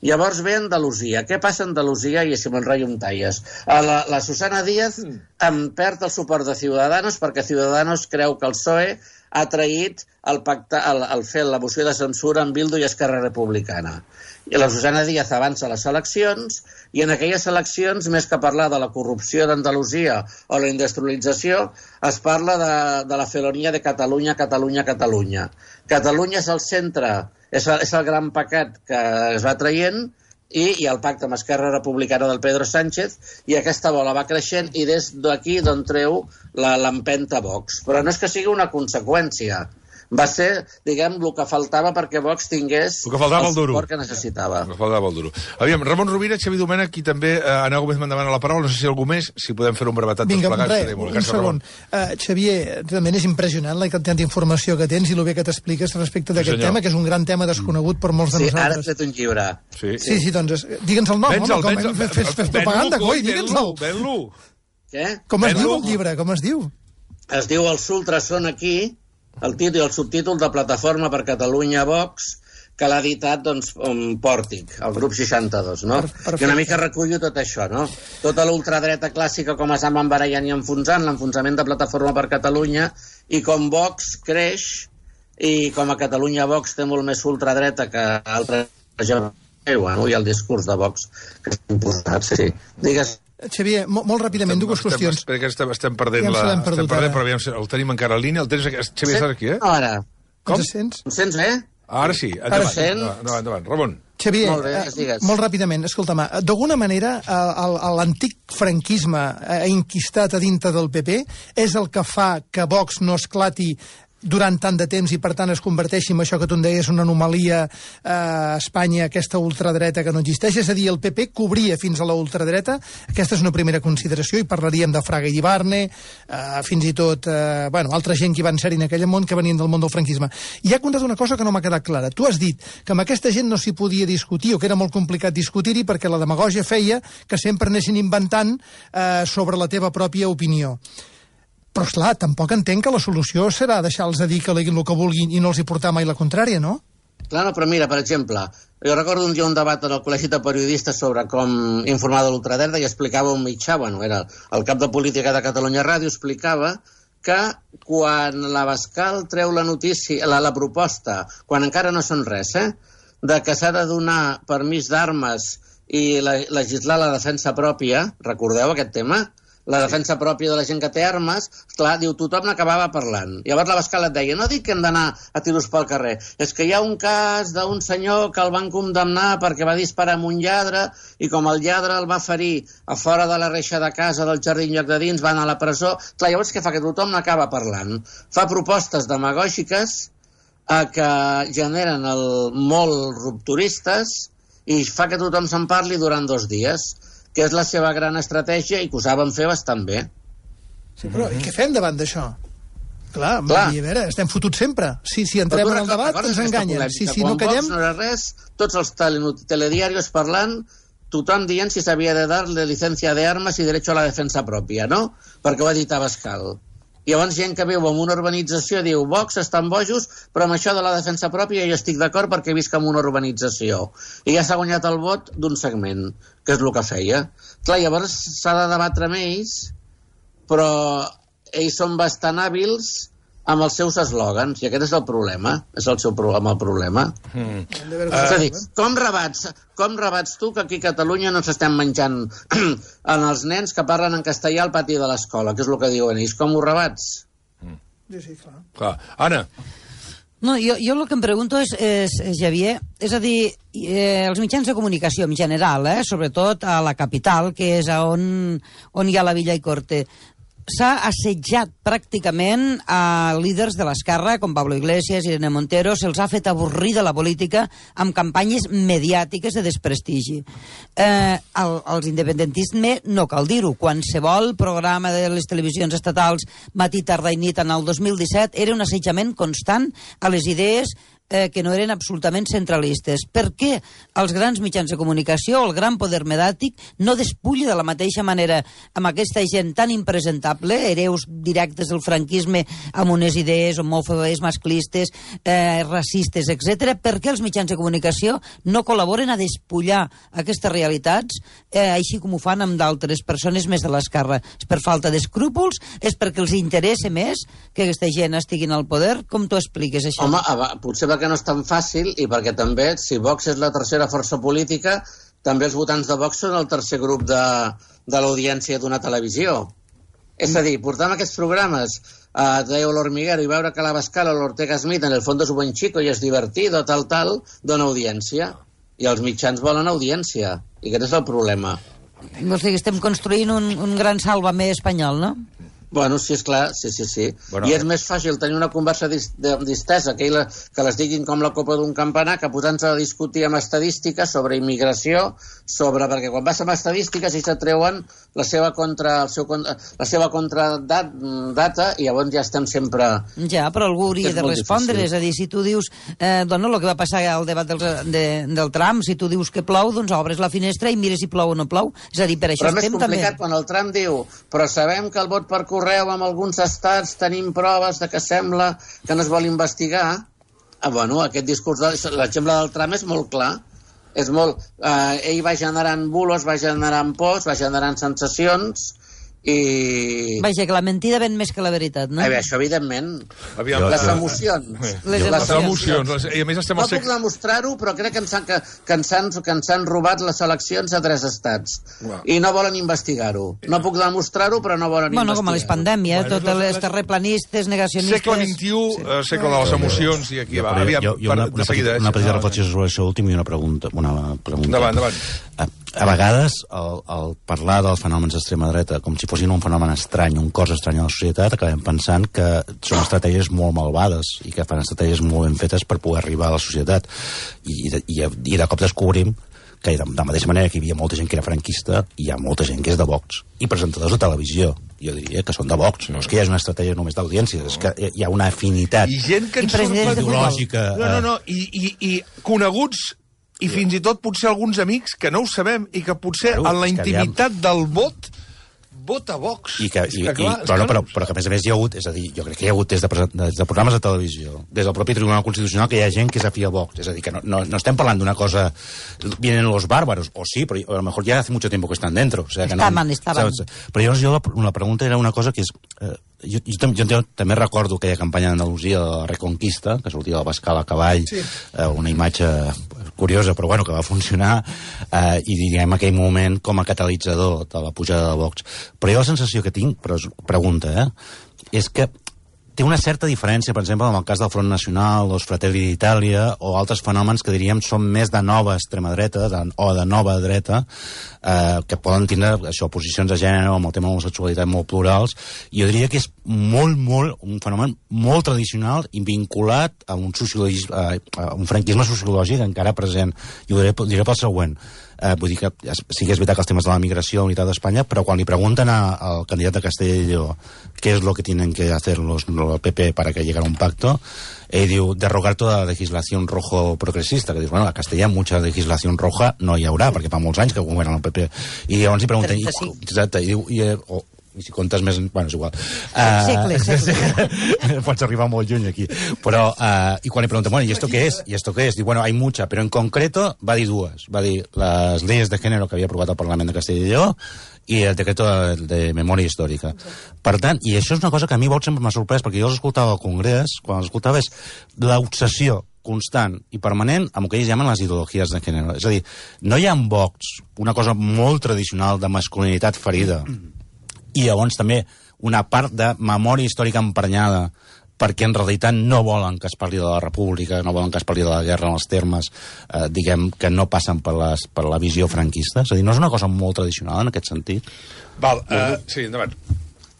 Llavors ve Andalusia. Què passa a Andalusia? I si m'enrotllo amb talles. La, la Susana Díaz em perd el suport de Ciudadanos perquè Ciudadanos creu que el P S O E ha traït el, pacte, el, el fer la moció de censura amb Bildu i Esquerra Republicana. I la Susana Díaz avança a les eleccions i en aquelles eleccions, més que parlar de la corrupció d'Andalusia o la industrialització, es parla de, de la felonia de Catalunya, Catalunya, Catalunya. Catalunya és el centre, és el, és el gran pecat que es va traient, i hi ha el pacte amb Esquerra Republicana del Pedro Sánchez, i aquesta bola va creixent, i des d'aquí d'on treu l'empenta Vox. Però no és que sigui una conseqüència, Va ser, diguem, el que faltava perquè Vox tingués el, que faltava el el duro. suport que necessitava. El que faltava el duro. Aviam, Ramon Rovira, Xavi Domènech i també eh, Ana Gómez m'endavant a la paraula. No sé si algú més, si podem fer un brevetat tots plegats. Vinga, un, un segon. Uh, Xavier, realment és impressionant la quantitat d'informació que tens i el bé que t'expliques respecte d'aquest sí, tema, que és un gran tema desconegut per molts de sí, nosaltres. Ara has fet un llibre. Sí, sí, sí doncs, digue'ns el nom, home, com hem fet, fet, fet propaganda, coi, digue'ns-el. Ven-lo. Què? Com es diu el llibre, com es diu? Es diu Els ultras són aquí, el títol i el subtítol de Plataforma per Catalunya Vox, que l'ha editat, doncs, um, Pòrtic, el grup seixanta-dos, no? I una mica recullo tot això, no? Tota l'ultradreta clàssica, com es van barallant i enfonsant, l'enfonsament de Plataforma per Catalunya, i com Vox creix, i com a Catalunya Vox té molt més ultradreta que altres regions, bueno, i el discurs de Vox que s'ha imposat, sí. Digues... Xavier, molt, molt ràpidament, estem, dues qüestions. Estem, estem, estem perdent ja la... Perdut, estem perdent, però aviam, el tenim encara a línia. El tens, Xavier, estàs aquí, eh? Ara. Com? Ens sents? Em sents bé? Ara sí. Endavant, Ara sent? endavant, endavant. Ramon. Xavier, molt, bé, eh, molt ràpidament, escolta'm, d'alguna manera l'antic franquisme eh, enquistat a dintre del P P és el que fa que Vox no esclati durant tant de temps i, per tant, es converteixi en això que tu em deies, una anomalia eh, a Espanya, aquesta ultradreta que no existeix. És a dir, el P P cobria fins a la ultradreta. Aquesta és una primera consideració i parlaríem de Fraga i Ibarne, eh, fins i tot, eh, bueno, altra gent que van ser en aquell món que venien del món del franquisme. I ha contat una cosa que no m'ha quedat clara. Tu has dit que amb aquesta gent no s'hi podia discutir o que era molt complicat discutir-hi perquè la demagògia feia que sempre anessin inventant eh, sobre la teva pròpia opinió. Però, esclar, tampoc entenc que la solució serà deixar-los de dir que leguin el que vulguin i no els hi portar mai la contrària, no? Clar, no, però mira, per exemple, jo recordo un dia un debat en el Col·legi de Periodistes sobre com informar de l'ultradreta i explicava un mitjà, bueno, era el cap de política de Catalunya Ràdio, explicava que quan l'Abascal treu la notícia, la, la proposta, quan encara no són res, eh, de que s'ha de donar permís d'armes i la, legislar la defensa pròpia, recordeu aquest tema? La defensa pròpia de la gent que té armes, clar, diu, tothom n'acabava parlant. Llavors l'Abascal et deia, no dic que hem d'anar a tiros pel carrer, és que hi ha un cas d'un senyor que el van condemnar perquè va disparar amb un lladre i com el lladre el va ferir a fora de la reixa de casa del jardí en lloc de dins, va anar a la presó. Clar, llavors què fa? Que tothom n'acaba parlant. Fa propostes demagògiques eh, que generen el, molt rupturistes i fa que tothom se'n parli durant dos dies, que és la seva gran estratègia i que ho saben fer bastant bé. Sí, però i què fem davant d'això? Clar, Clar. a veure, estem fotuts sempre. Si, si entrem en el debat, ens enganyen. Si, si no callem... Quan Vox no era res, tots els telediarios parlant, tothom dient si s'havia de dar la licencia de armes i derecho a la defensa pròpia, no? Perquè ho ha dit Abascal. I llavors gent que viu en una urbanització diu Vox estan bojos, però amb això de la defensa pròpia jo estic d'acord perquè visc en una urbanització. I ja s'ha guanyat el vot d'un segment, que és el que feia. Clar, llavors s'ha de debatre amb ells, però ells són bastant hàbils amb els seus eslògans, i aquest és el problema, és el seu pro amb el problema. Mm. Uh, és a dir, com rebats, com rebats tu que aquí a Catalunya no s'estem menjant en els nens que parlen en castellà al pati de l'escola, que és el que diuen ells, com ho rebats? Mm. Sí, sí, clar. Clar. Anna. No, jo, jo el que em pregunto és, és, és Xavier, és a dir, eh, els mitjans de comunicació en general, eh, sobretot a la capital, que és on, on hi ha la Villa i Corte, s'ha assetjat pràcticament a líders de l'esquerra, com Pablo Iglesias, Irene Montero, se'ls ha fet avorrir de la política amb campanyes mediàtiques de desprestigi. Eh, el, els independentisme, no cal dir-ho, qualsevol programa de les televisions estatals matí, tarda i nit en el dos mil disset era un assetjament constant a les idees eh, que no eren absolutament centralistes. Per què els grans mitjans de comunicació, el gran poder mediàtic, no despulla de la mateixa manera amb aquesta gent tan impresentable, hereus directes del franquisme, amb unes idees homòfobes, masclistes, eh, racistes, etcètera? Per què els mitjans de comunicació no col·laboren a despullar aquestes realitats, eh, així com ho fan amb d'altres persones més de l'esquerra? És per falta d'escrúpols? És perquè els interessa més que aquesta gent estiguin al poder? Com t'ho expliques, això? Home, potser perquè no és tan fàcil i perquè també, si Vox és la tercera força política, també els votants de Vox són el tercer grup de, de l'audiència d'una televisió. És a dir, portar aquests programes a Deo l'Hormiguero i veure que l'Abascal o l'Ortega Smith en el fons és un buen chico i és divertido, tal, tal, dona audiència. I els mitjans volen audiència. I aquest és el problema. Vols dir que estem construint un, un gran sàlvame espanyol, no? Bueno, sí, és clar, sí, sí, sí. Bueno, I és més fàcil tenir una conversa dis distesa, que, la, que les diguin com la copa d'un campanar, que posant-se a discutir amb estadístiques sobre immigració, sobre... Perquè quan vas amb estadístiques i s'atreuen la seva contra, el seu, la seva contradata i llavors ja estem sempre... Ja, però algú hauria de respondre. difícil. És a dir, si tu dius, eh, doncs el que va passar al debat del, de, del tram, si tu dius que plou, doncs obres la finestra i mires si plou o no plou. És a dir, per això però estem més complicat també... quan el Trump diu però sabem que el vot per correu en alguns estats tenim proves de que sembla que no es vol investigar. Ah, bueno, aquest discurs, de, l'exemple del Trump és molt clar. És molt, eh, ell va generant bulos, va generant pors, va generant sensacions i... Vaja, que la mentida ven més que la veritat, no? Eh bé, això evidentment. Aviam, les eh, emocions. Les Les emocions. emocions. I a més estem No al puc segle... demostrar-ho, però crec que ens han, que, que ens han, que ens han robat les eleccions a tres estats. Uau. I no volen investigar-ho. No puc demostrar-ho, però no volen Bueno, investigar-ho. com a les pandèmies, Bueno, totes les les- terraplanistes, negacionistes... Segle vint-i-u, eh, segle de les emocions, i aquí va. Però Aviam, jo, jo una, per- una, de seguida. petita, una petita eh? reflexió sobre això últim i una pregunta. Una pregunta. Endavant, endavant. A, a vegades, el, el parlar dels fenòmens d'extrema dreta com si fossin un fenomen estrany, un cos estrany a la societat, acabem pensant que són estratègies molt malvades i que fan estratègies molt ben fetes per poder arribar a la societat. I, i, i, i de cop descobrim que de, de la mateixa manera que hi havia molta gent que era franquista, hi ha molta gent que és de Vox. I presentadors de televisió, jo diria que són de Vox. No és que hi hagi una estratègia només d'audiència, és que hi ha una afinitat I gent que I ens presidents de surt... ideològica. No, no, no, i, i, i coneguts i fins i tot potser alguns amics que no ho sabem i que potser Claro, en la és que intimitat del vot vota Vox. I que, És i, que, clar, i, és però, que però, no- però que a més a més hi ha hagut, és a dir, jo crec que hi ha hagut des de, presen- des de programes de televisió, des del propi Tribunal Constitucional, que hi ha gent que és afí a Vox, és a dir, que no, no, no estem parlant d'una cosa, vienen los bárbaros, o sí, però a lo mejor ya hace mucho tiempo que están dentro. O sea, que Estaven, no, estaven. saps? Però jo, jo, la pregunta era una cosa que és... Eh, jo, jo, tam- jo, jo també recordo aquella campanya d'Andalusia de la Reconquista, que sortia del Bascal a cavall, sí. eh, una imatge curiosa, però bueno, que va funcionar, eh, i diguem aquell moment com a catalitzador de la pujada de Vox. Però jo la sensació que tinc, però és pregunta, eh, és que té una certa diferència, per exemple, en el cas del Front Nacional, els Fratelli d'Itàlia, o altres fenòmens que diríem són més de nova extrema dreta, de, o de nova dreta, eh, que poden tindre això, posicions de gènere o amb el tema de l'homosexualitat molt plurals, i jo diria que és molt, molt, un fenomen molt tradicional i vinculat a un, sociologisme, a un franquisme sociològic encara present. I ho diré, diré pel següent. Eh, vull dir que sí que és veritat que els temes de la migració, la unitat d'Espanya, però quan li pregunten a, al candidat de Castella y Lleó què és lo que tienen que hacer los, los P P para que llegara a un pacto, ell diu derrogar toda la legislación rojo progresista, que dius, bueno, a Castella mucha legislación roja no hi haurà, perquè fa molts anys que governa el P P. I llavors li pregunten... trenta-cinc. I, exacte, i diu... I, o, i si comptes més... Bueno, és igual. Uh, Segle, segle. Pots arribar molt lluny aquí. Però, uh, i quan li pregunten, bueno, ¿y esto qué es? ¿Y esto qué es? Diu, bueno, hay mucha, pero en concreto va dir dues. Va dir les leyes de género que havia aprovat el Parlament de Castella i Lleó i el decreto de, de memòria històrica. Per tant, i això és una cosa que a mi Vox sempre m'ha sorprès, perquè jo els escoltava al Congrés, quan els escoltava és l'obsessió constant i permanent amb el que ells llamen les ideologies de gènere. És a dir, no hi ha en Vox una cosa molt tradicional de masculinitat ferida i llavors també una part de memòria històrica emprenyada perquè en realitat no volen que es parli de la república, no volen que es parli de la guerra en els termes, eh, diguem, que no passen per, les, per la visió franquista. És a dir, no és una cosa molt tradicional en aquest sentit? Val, uh, sí, endavant.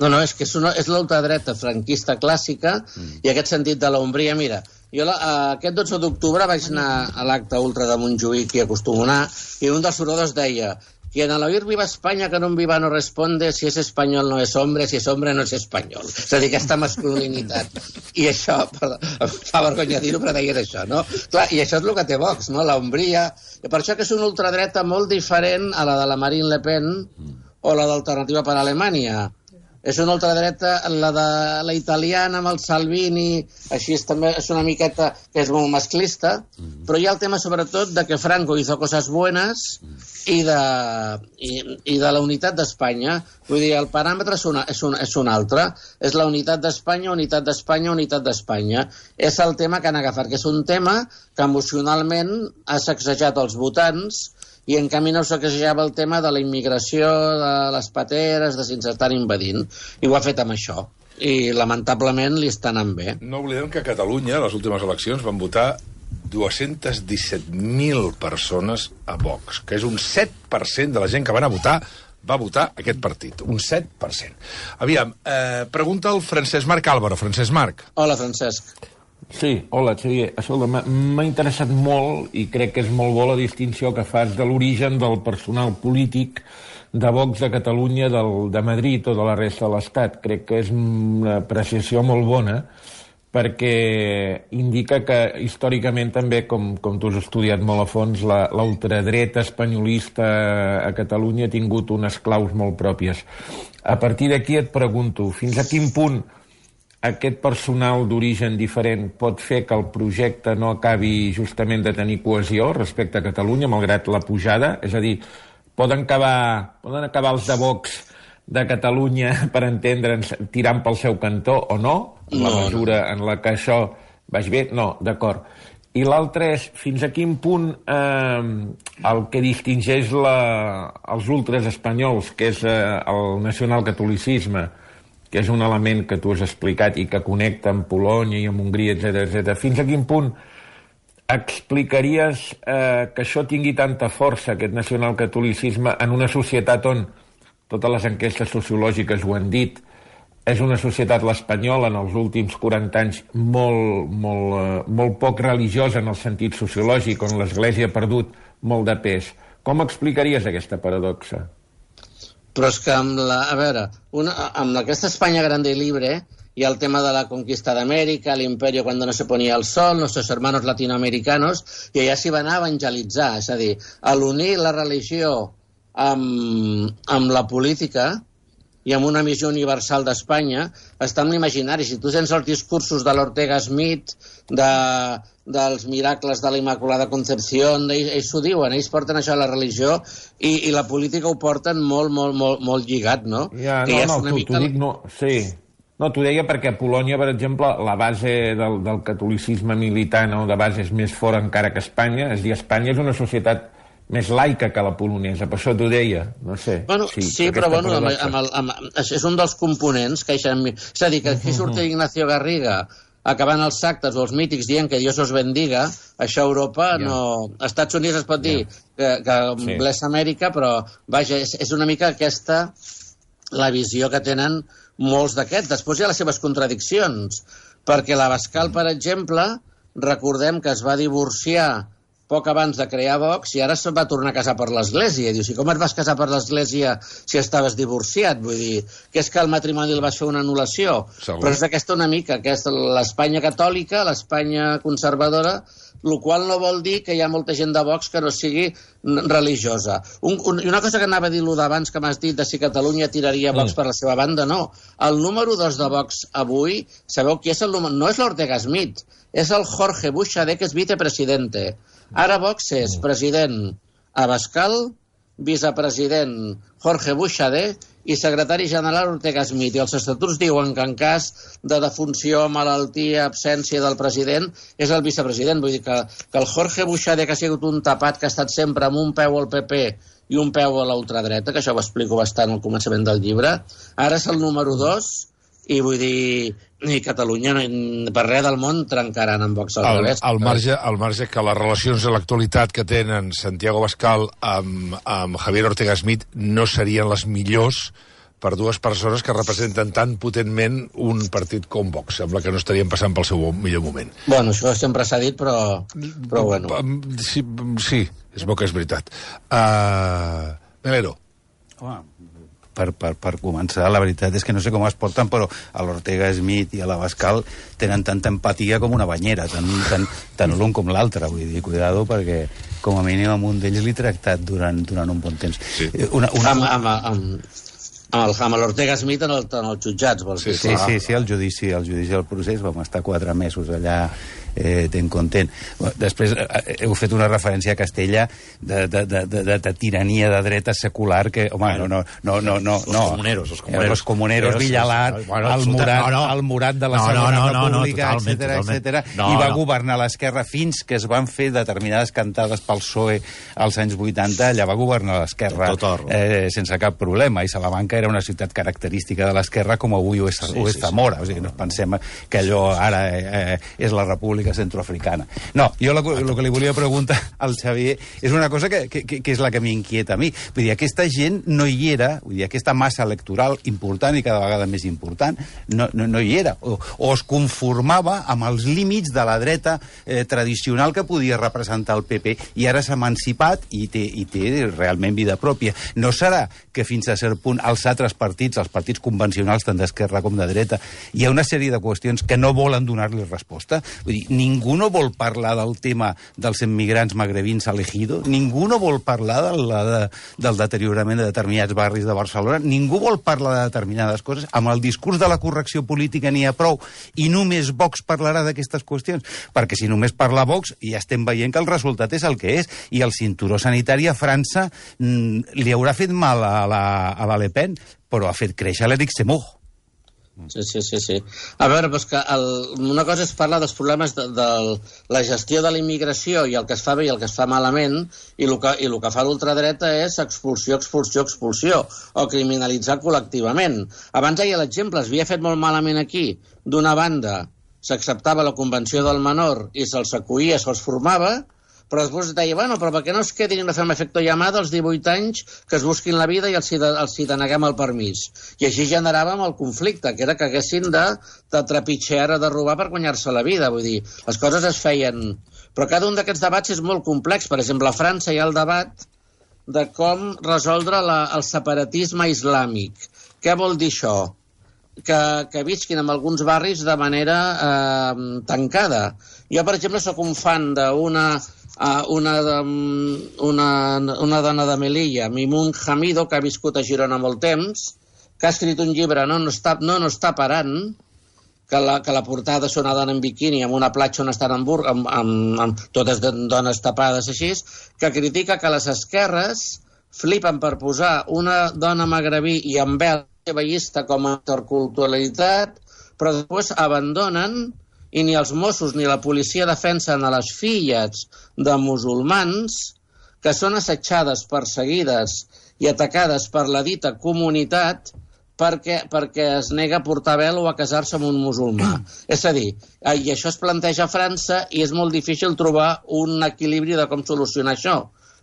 No, no, és que és, una, és l'ultradreta franquista clàssica mm. i aquest sentit de l'ombria. Mira, jo la, aquest dotze d'octubre vaig anar a l'acte ultra de Montjuïc i acostumo a anar, i un dels oradors deia: quien al oír viva España que no viva no responde, si es español no es hombre, si es hombre no es español. És a dir, aquesta masculinitat. I això, per, fa vergonya dir-ho, però deien això, no? Clar, i això és el que té Vox, no? L'ombria. I per això que és una ultradreta molt diferent a la de la Marine Le Pen o la d'Alternativa per Alemanya. És una ultradreta, la de la italiana amb el Salvini, així és, també és una miqueta que és molt masclista, però hi ha el tema sobretot de que Franco hizo cosas buenas i de, i, i de la unitat d'Espanya. Vull dir, el paràmetre és, una, és, un, és un altre. És la unitat d'Espanya, unitat d'Espanya, unitat d'Espanya. És el tema que han agafat, que és un tema que emocionalment ha sacsejat els votants i en canvi no saquejava el tema de la immigració, de les pateres, de si ens estan invadint. I ho ha fet amb això. I lamentablement li està anant bé. No oblidem que a Catalunya, a les últimes eleccions, van votar dos-cents disset mil persones a Vox, que és un set per cent de la gent que van a votar va votar aquest partit, un set per cent. Aviam, eh, pregunta el Francesc Marc Álvaro. Francesc Marc. Hola, Francesc. Sí, hola, Xavier. Escolta, m'ha interessat molt i crec que és molt bo la distinció que fas de l'origen del personal polític de Vox de Catalunya, del, de Madrid o de la resta de l'Estat. Crec que és una apreciació molt bona perquè indica que històricament també, com, com tu has estudiat molt a fons, la, la ultradreta espanyolista a Catalunya ha tingut unes claus molt pròpies. A partir d'aquí et pregunto, fins a quin punt aquest personal d'origen diferent pot fer que el projecte no acabi justament de tenir cohesió respecte a Catalunya, malgrat la pujada? És a dir, poden acabar, poden acabar els de Vox de Catalunya, per entendre'ns, tirant pel seu cantó o no, en la mesura en la que això vaig bé? No, d'acord. I l'altre és, fins a quin punt eh, el que distingeix la, els ultres espanyols, que és eh, el nacionalcatolicisme, que és un element que tu has explicat i que connecta amb Polònia i amb Hongria, etcètera, etcètera. Fins a quin punt explicaries eh, que això tingui tanta força, aquest nacionalcatolicisme, en una societat on, totes les enquestes sociològiques ho han dit, és una societat, l'espanyola, en els últims quaranta anys, molt, molt, eh, molt poc religiosa en el sentit sociològic, on l'Església ha perdut molt de pes. Com explicaries aquesta paradoxa? Però és que amb la... A veure, una, amb aquesta Espanya grande y libre hi ha el tema de la conquista d'Amèrica, l'imperio cuando no se ponía el sol, nuestros hermanos latinoamericanos, i allà s'hi va anar a evangelitzar. És a dir, a l'unir la religió amb, amb la política i amb una missió universal d'Espanya, està en l'imaginari. Si tu tens els discursos de l'Ortega Smith, de, dels miracles de la Immaculada Concepció, ells, ells ho diuen, ells porten això a la religió i, i la política ho porten molt, molt, molt, molt lligat, no? Ja, que no, ja no, una t'ho mica... dic, no, sí. No, t'ho deia perquè a Polònia, per exemple, la base del, del catolicisme militant o de base és més fora encara que Espanya. És a dir, Espanya és una societat més laica que la polonesa, per això t'ho deia, no sé. Bueno, sí, sí però bueno, amb, amb el, amb, és un dels components que... És a dir, que aquí surt Ignacio Garriga acabant els actes o els mítics dient que Dios os bendiga, això a Europa yeah. no... Als Estats Units es pot dir yeah. que, que sí. bless Amèrica, però vaja, és, és una mica aquesta la visió que tenen molts d'aquests. Després hi ha les seves contradiccions, perquè l'Abascal, per exemple, recordem que es va divorciar poc abans de crear Vox, i ara se'n va tornar a casar per l'Església. Dius, i com et vas casar per l'Església si estaves divorciat? Vull dir, que és que el matrimoni el vas fer una anul·lació. Segur. Però és aquesta una mica, que és l'Espanya catòlica, l'Espanya conservadora, el qual no vol dir que hi ha molta gent de Vox que no sigui religiosa. Un, un, I una cosa que anava a dir lo d'abans que m'has dit de si Catalunya tiraria Vox mm. per la seva banda, no. El número dos de Vox avui, sabeu qui és el número? No és l'Ortega Smith, és el Jorge Buxadé, que és vicepresidente. Ara Vox és president Abascal, vicepresident Jorge Buxadé i secretari general Ortega Smith. I els estatuts diuen que en cas de defunció, malaltia, absència del president, és el vicepresident. Vull dir que, que el Jorge Buxadé, que ha sigut un tapat, que ha estat sempre amb un peu al P P i un peu a la ultradreta, que això ho explico bastant al començament del llibre, ara és el número dos. I vull dir, i Catalunya per res del món trencaran amb Vox al al, revés. Al marge, al marge que les relacions de l'actualitat que tenen Santiago Abascal amb, amb Javier Ortega Smith no serien les millors per dues persones que representen tan potentment un partit com Vox. Sembla que no estarien passant pel seu millor moment. Bueno, això sempre s'ha dit, però, però bueno. Sí, sí, és bo que és veritat. Uh, Melero. Home, Per, per, per començar, la veritat és que no sé com es porten, però a l'Ortega Smith i a l'Abascal tenen tanta empatia com una banyera, tant, tant, tant l'un com l'altre, vull dir, cuidado, perquè com a mínim amb un d'ells l'he tractat durant, durant un bon temps. Sí. Una, una... Amb, amb, amb, amb, amb l'Ortega Smith en, el, en els jutjats, vols dir? Sí, sí, sí, el judici, el judici del procés, vam estar quatre mesos allà eh, ten content. Després eh, heu fet una referència a Castella de, de, de, de, de, de tirania de dreta secular que, home, no, no, no, no, no, los comuneros, los comuneros, los comuneros Villalat, bueno, el Murat, no, no. el Murat de la no, Segona no, no, República, no, no, etcètera, etcètera, no, i va no. governar l'esquerra fins que es van fer determinades cantades pel P S O E als anys vuitanta, allà va governar l'esquerra eh, sense cap problema, i Salamanca era una ciutat característica de l'esquerra com avui ho és, sí, ho és Zamora, sí, sí. O sigui, no pensem que allò ara eh, és la República República Centroafricana. No, jo el que li volia preguntar al Xavier és una cosa que, que, que és la que m'inquieta a mi. Vull dir, aquesta gent no hi era, vull dir, aquesta massa electoral important i cada vegada més important, no, no, no hi era. O, o es conformava amb els límits de la dreta eh, tradicional que podia representar el P P, i ara s'ha emancipat i té, i té realment vida pròpia. No serà que fins a cert punt els altres partits, els partits convencionals tant d'esquerra com de dreta, hi ha una sèrie de qüestions que no volen donar-li resposta? Vull dir, ningú no vol parlar del tema dels immigrants magrebins a l'Ejido, ningú no vol parlar de la, de, del deteriorament de determinats barris de Barcelona, ningú vol parlar de determinades coses. Amb el discurs de la correcció política n'hi ha prou, i només Vox parlarà d'aquestes qüestions, perquè si només parla Vox ja estem veient que el resultat és el que és, i el cinturó sanitari a França mm, li haurà fet mal a la, a la Le Pen, però ha fet créixer l'Éric Zemmour. Sí, sí, sí, sí. A veure, doncs que el, una cosa és parlar dels problemes de, de la gestió de la immigració i el que es fa bé i el que es fa malament, i el que, i el que fa l'ultradreta és expulsió, expulsió, expulsió, o criminalitzar col·lectivament. Abans hi ha l'exemple, es havia fet molt malament aquí. D'una banda, s'acceptava la Convenció del Menor i se'ls acollia, se'ls formava, però després deia, bueno, però per què no es quedin a fer un efecte llamada als divuit anys, que es busquin la vida i els hi, de, els hi deneguem el permís. I així generàvem el conflicte, que era que haguessin de, de trepitjar o de robar per guanyar-se la vida. Vull dir, les coses es feien... Però cada un d'aquests debats és molt complex. Per exemple, a França hi ha el debat de com resoldre la, el separatisme islàmic. Què vol dir això? Que, que visquin en alguns barris de manera eh, tancada. Jo, per exemple, sóc un fan d'una... Uh, una, una, una dona de Melilla, Mimun Hamido, que ha viscut a Girona molt temps, que ha escrit un llibre, No no està, no, no està parant, que la, que la portada és una dona en biquini amb una platja on estan amb, amb, amb, amb totes dones tapades així, que critica que les esquerres flipen per posar una dona magrebí i amb vel veïsta com a interculturalitat, però després abandonen, i ni els Mossos ni la policia defensen a les filles de musulmans que són assetjades, perseguides i atacades per la dita comunitat perquè, perquè es nega a portar vel o a casar-se amb un musulmà. És a dir, i això es planteja a França i és molt difícil trobar un equilibri de com solucionar això.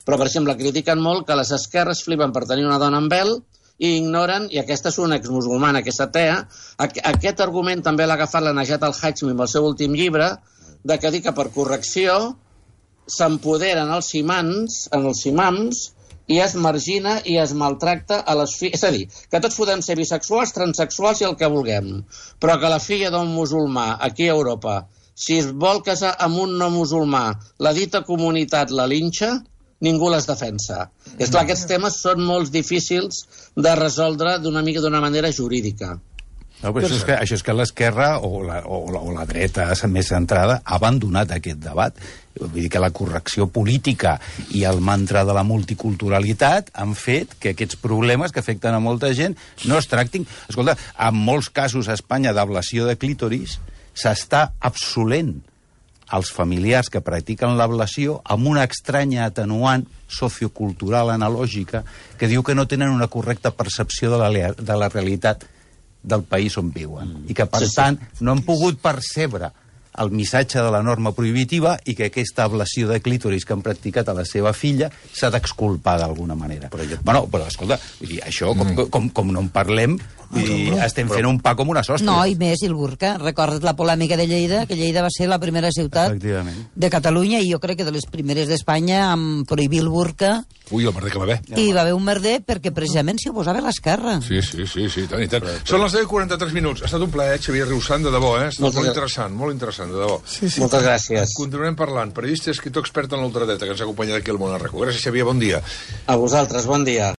Però, per exemple, critiquen molt que les esquerres flipen per tenir una dona amb vel i ignoren, i aquesta és una exmusulmana, aquesta atea, aquest argument també l'ha agafat la Najat al-Hajmi amb el seu últim llibre, de que dir que per correcció s'empoderen els imams, en els imams, i es margina i es maltracta a les filles. És a dir, que tots podem ser bisexuals, transsexuals i el que vulguem, però que la filla d'un musulmà aquí a Europa, si es vol casar amb un no musulmà, la dita comunitat la linxa, ningú les defensa. És clar, aquests temes són molt difícils de resoldre d'una mica d'una manera jurídica. No, però això és que, això és que l'esquerra o, la, o, la, o la dreta més centrada ha abandonat aquest debat. Vull dir que la correcció política i el mantra de la multiculturalitat han fet que aquests problemes que afecten a molta gent no es tractin. Escolta, en molts casos a Espanya d'ablació de clítoris s'està absolent els familiars que practiquen l'ablació amb una estranya atenuant sociocultural analògica que diu que no tenen una correcta percepció de la, de la realitat del país on viuen. I que, per tant, no han pogut percebre el missatge de la norma prohibitiva i que aquesta ablació de clítoris que han practicat a la seva filla s'ha d'exculpar d'alguna manera. Però, jo... bueno, però escolta, vull dir, això, com, mm. com, com no en parlem, i estem fent un pa com una sostra. No, i més, i el burca. Recorda't la polèmica de Lleida, que Lleida va ser la primera ciutat de Catalunya i jo crec que de les primeres d'Espanya amb prohibir el burca. Ui, el merder que va haver. I va haver un merder perquè precisament s'hi oposava l'esquerra. Sí, sí, sí, sí, tant i tant. Són les deu i quaranta-tres minuts. Ha estat un plaer, Xavier Riusant, de debò, eh? Ha estat molt interessant, molt interessant, de debò. Sí, sí. Moltes gràcies. Continuarem parlant. Periodista i escriptor expert en l'ultradreta que ens ha acompanyat aquí al Món Arreco. Gràcies, Xavier, bon dia. A vosaltres, bon dia.